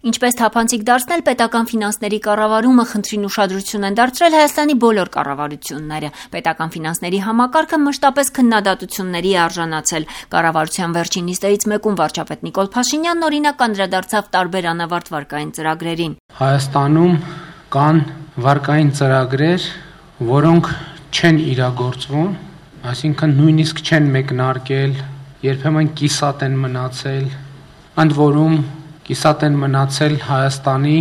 Ինչպես թափանցիկ դարձնել պետական ֆինանսների կառավարումը խնդրին ուշադրություն են դարձրել Հայաստանի բոլոր կառավարությունները։ Պետական ֆինանսների համակարգը մշտապես քննադատությունների է արժանացել։ Կառավարության վերջին նիստերից մեկում վարչապետ Նիկոլ Փաշինյանն օրինակ անդրադարձավ տարբեր անավարտ վարկային ծրագրերին։ Հայաստանում կան վարկային ծրագրեր, որոնք չեն իրագործվում, այսինքն նույնիսկ չեն մեկնարկել, երբեմն կիսատ են մնացել, ընդ որում կիսատ են մնացել Հայաստանի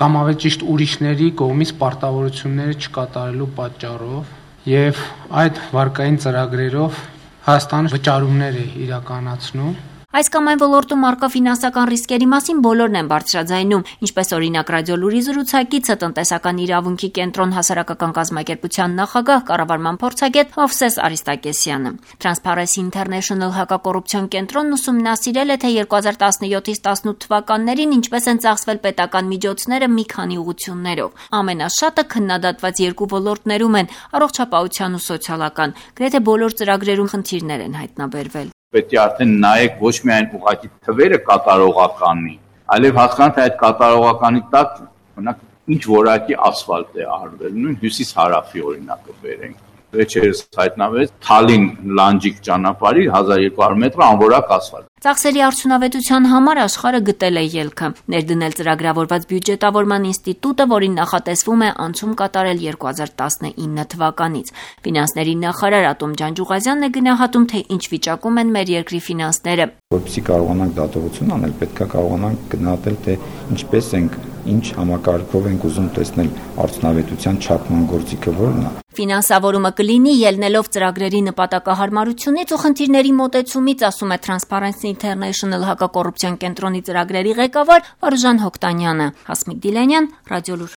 կամ ավելի ճիշտ ուրիշների կողմից պարտավորությունները չկատարելու պատճառով եւ այդ վարկային ծրագրերով Հայաստանը վճարումներ է իրականացնում։ Այս կամ այն ոլորտում առկա ֆինանսական ռիսկերի մասին բոլորն են բարձրաձայնում, ինչպես օրինակ Ռադիոլուրի զրուցակիցը տնտեսական իրավունքի կենտրոն հասարակական կազմակերպության նախագահ կառավարման փորձագետ Մովսես Արիստակեսյանը։ Transparency International հակակոռուպցիոն կենտրոնն ուսումնասիրել է, թե 2017-ից 18 թվականներին ինչպես են ծախսվել պետական միջոցները մի քանի ուղղություններով։ Ամենաշատը քննադատված երկու ոլորտներում են՝ առողջապահության ու սոցիալական։ Գրեթե բոլոր ծրագրերում խնդիրներ են հայտնաբերվել։ Պետք է արդեն նայեք ոչ միայն ուղղակի թվերը կատարողականի, այլև հասկանալ, թե այդ կատարողականի տակ օրինակ ինչ որակի ասֆալտ է արվել, նույն հյուսիս-հարավի օրինակը բերենք։ Վերջերս հայտնվեց Թալին Լանջիկ ճանապարհի 1200 մետր անորակ ասֆալտ։ Ծախսերի արդյունավետության համար աշխարհը գտել է ելքը՝ ներդնել ծրագրավորված բյուջետավորման ինստիտուտը, որին նախատեսվում է անցում կատարել 2019 թվականից։ Ֆինանսների նախարար Ատոմ Ջանջուղազյանն է գնահատում, թե ինչ վիճակում են մեր երկրի ֆինանսները։ Որպեսզի կարողանանք դատողություն անել, պետք է կարողանանք գնահատել, թե ինչպես ենք, ինչ համակարգով ենք ուզում տեսնել արդյունավետության չափման գործիքը որն է։ Ֆինանսավորումը կլինի ելնելով ծրագրերի նպատակահարմարությունից ու խնդիրների մոտեցումից, ասում է Transparency International հակակոռուպցիոն կենտրոնի ծրագրերի ղեկավար Վարուժան Հոկտանյանը։ Հասմիկ Դիլանյան, Ռադիոլուր։